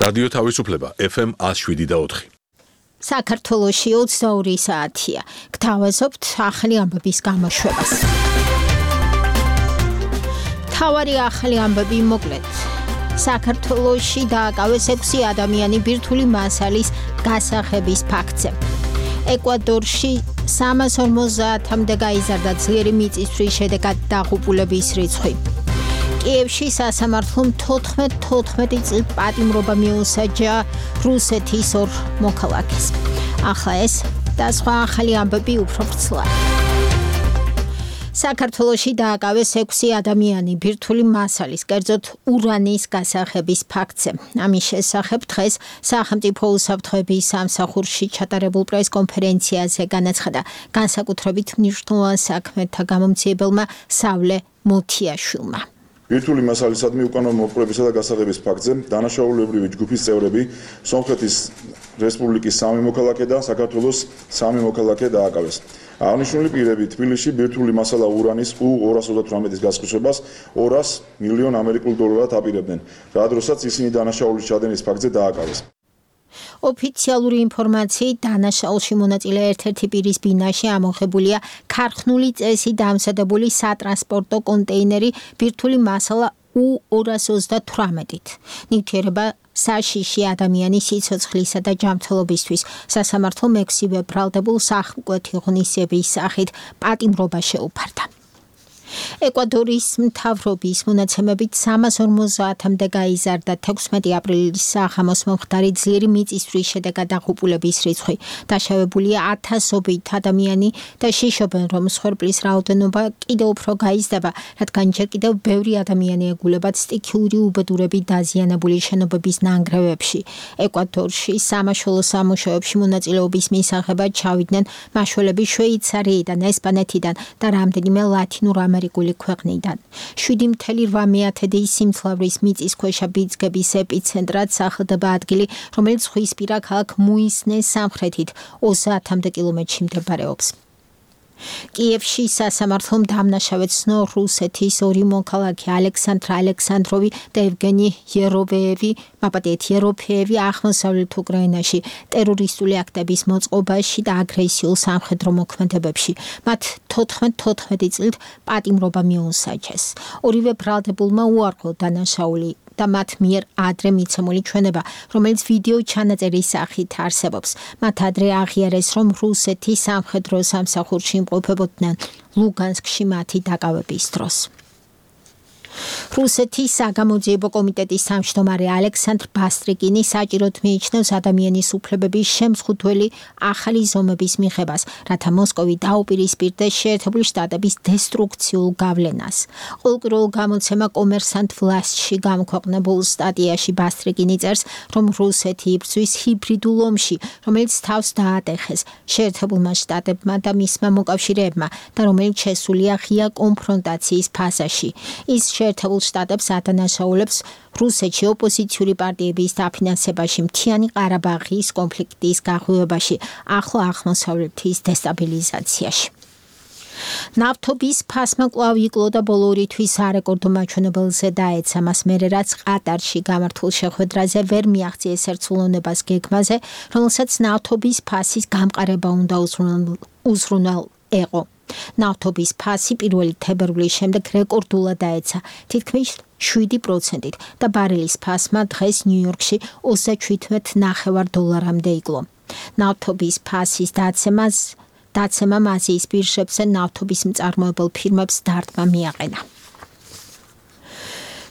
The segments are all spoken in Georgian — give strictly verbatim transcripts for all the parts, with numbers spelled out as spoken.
რადიო თავისუფლება F M one oh seven და four. საქართველოში ოცდაორი საათია. გთავაზობთ ახალი ამბების გამოშვებას. თავარი ახალი ამბები მოკლედ. საქართველოში დააკავეს ექვსი ადამიანი ბირთვული მასალის გასახების ფაქტზე. ეკვადორში სამას ორმოცდაათამდე გაიზარდა ძლიერი მიწისძვრის შედეგად დაღუპულების რიცხვი. კიევში სასამართლომ თოთხმეტ თოთხმეტი წლით პატიმრობა მიუსაჯა რუსეთის ორ მოქალაქეს. ახლა ეს და სხვა ახალი ამბები უფრო ვრცლად. საქართველოში დააკავეს ექვსი ადამიანი ბირთვული მასალის, კერძოდ ურანის გასახების ფაქტზე. ამის შესახებ დღეს სახელმწიფო უსაფრთხოების სამსახურში ჩატარებულ პრესკონფერენციაზე განაცხადა განსაკუთრებით მნიშვნელოვან საქმეთა გამომძიებელმა სავლე მუთიაშვილმა. ბირთვული მასალისადმი უკანონო მოპყრობისა და გასაღების ფაქტზე დანაშაულებრივი ჯგუფის წევრები სომხეთის რესპუბლიკის სამი მოქალაქე და საქართველოს სამი მოქალაქე დააკავეს. აღნიშნული პირები თბილისში ბირთვული მასალა ურანის U ორას ოცდათვრამეტის გასხმებას ორას მილიონ ამერიკულ დოლარად აპირებდნენ, რა დროსაც ისინი დანაშაულის ჩადენის ფაქტზე დააკავეს. ოფიციალური ინფორმაციით დანაშაულში მონაწილე ერთ-ერთი პირის ბინაში ამოღებულია ქარხნული წესით დამზადებული სატრანსპორტო კონტეინერი ბირთვული მასალა U ორას ოცდათვრამეტით. ნივთიერება საშიში ადამიანის სიცოცხლისა და ჯანმრთელობისთვის სასამართლომ ექვსივე ბრალდებულ სახმკვეთი ღონისძიების სახით პატიმრობა შეუფარდა. ეკვადორის მთავრობის მონაცემებით სამას ორმოცდაათამდე გაიზარდა თექვსმეტი აპრილის საღამოს მომხდარი ძლიერი მიწისძვრის შედეგად დაღუპულების რიცხვი. დაშავებულია ათასობით ადამიანი და შიშობენ, რომ მსხვერპლის რაოდენობა კიდევ უფრო გაიზრდება, რადგან ჯერ კიდევ ბევრი ადამიანი ეგულებათ სტიქიური უბედურებით დაზიანებული შენობების ნანგრევებში. ეკვადორში სამაშველო სამუშაოებში მონაწილეობის მისაღებად ჩავიდნენ მაშველები შვეიცარიიდან, ესპანეთიდან და რამდენიმე ლათინურ ამერიკული ქვეყნიდან. შვიდი წელი რვამეათედი სიმძლავრის მიწისქვეშა ბიძგების ეპიცენტრად სახლდება ადგილი, რომელიც ზღვისპირა ქალაქ მუისნეს სამხრეთით ოცდაათამდე კილომეტრში მდებარეობს. კიევში სასამართლომ დამნაშავედ ცნო რუსეთის ორი მოქალაქე ალექსანდრ ალექსანდროვი და ევგენი იეროვეევი, მაპატიეთ იეროფეევი აღმოსავლეთ უკრაინაში ტერორისტული აქტების მოწყობაში და აგრესიულ სამხედრო მოქმედებებში. მათ თოთხმეტ თოთხმეტი წლით პატიმრობა მიუსაჯეს. ორივე ბრალდებულმა უარყო დანაშაული და მათ მიერ ადრე მიცემული ჩვენება, რომელიც ვიდეო ჩანაწერის სახით არსებობს. მათ ადრე აღიარეს, რომ რუსეთის სამხედრო სამსახურში იმყოფებოდნენ ლუგანსკში მათი დაკავების დროს. რუსეთის საგამოძიებო კომიტეტის თავმჯდომარე ალექსანდრ ბასტრიკინი საჭიროდ მიიჩნევს ადამიანის უფლებების შემზღუდველი ახალი ზომების მიღებას, რათა მოსკოვი დაუპირისპირდეს შეერთებული შტატების დესტრუქციულ გავლენას. ყოველკვირეულ გამოცემა კომერსანტ ვლასტში გამოქვეყნებულ სტატიაში ბასტრიკინი წერს, რომ რუსეთი იბრძვის ჰიბრიდულ ომში, რომელიც თავს დაატეხეს შეერთებულმა შტატებმა და მისმა მოკავშირეებმა და რომელიც შესულია ღია კონფრონტაციის ფაზაში. ის შეერთებულ შტატებს ადანაშაულებს რუსეთში ოპოზიციური პარტიების დაფინანსებაში, მთიანი ყარაბაღის კონფლიქტის გაღვივებაში, ახლო აღმოსავლეთის დესტაბილიზაციაში. ნავთობის ფასმა კვლავ იკლო და ბოლო ორი თვის არეკორდო მაჩვენებელზე დაეცა, მას მერე რაც ყატარში გამართულ შეხვედრაზე ვერ მიაღწიეს ერთსულოვნებას გეგმაზე, რომელსაც ნავთობის ფასის გამყარება უნდა უზრუნელ ეყო. ნავთობის ფასი პირველი თებერვლის შემდეგ რეკორდულად დაეცა, თითქმის შვიდი პროცენტით და ბარელის ფასმა დღეს ნიუ-იორკში ოცდაჩვიდმეტ ნახევარ დოლარამდე იკლო. ნავთობის ფასის დაცემას დაცემამ აზიის ბირჟებზე ნავთობის მწარმოებელ ფირმებს დარტყმა მიაყენა.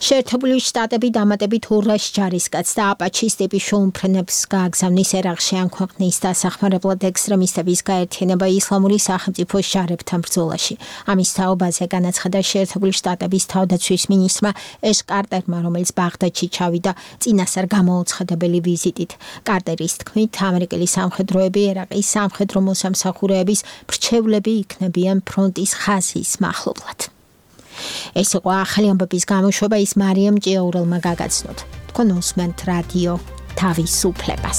შეერთებული შტატები დამატებით ორას ჯარისკაცს და აპაჩის ტიპის შეუმფრენებს გააგზავნის ერაყში ამ ქვეყნის დასახმარებლად ექსტრემისტების გაერთიანება ისლამური სახელმწიფოს ჯარებთან ბრძოლაში. ამის თაობაზე განაცხადა შეერთებული შტატების თავდაცვის მინისტრმა ეშ კარტერმა, რომელიც ბაღდადში ჩავიდა წინასწარ გამოუცხადებელი ვიზიტით. კარტერის თქმით, ამერიკელი სამხედროები ერაყის სამხედრო მოსამსახურეების მრჩევლები იქნებიან ფრონტის ხაზის მახლობლად. ეს იყო ახალი ამბების გამოშვება, ის მარიამ ჭიაურელმა გაგაცნოთ. თქვენ უსმენთ რადიო თავისუფლებას.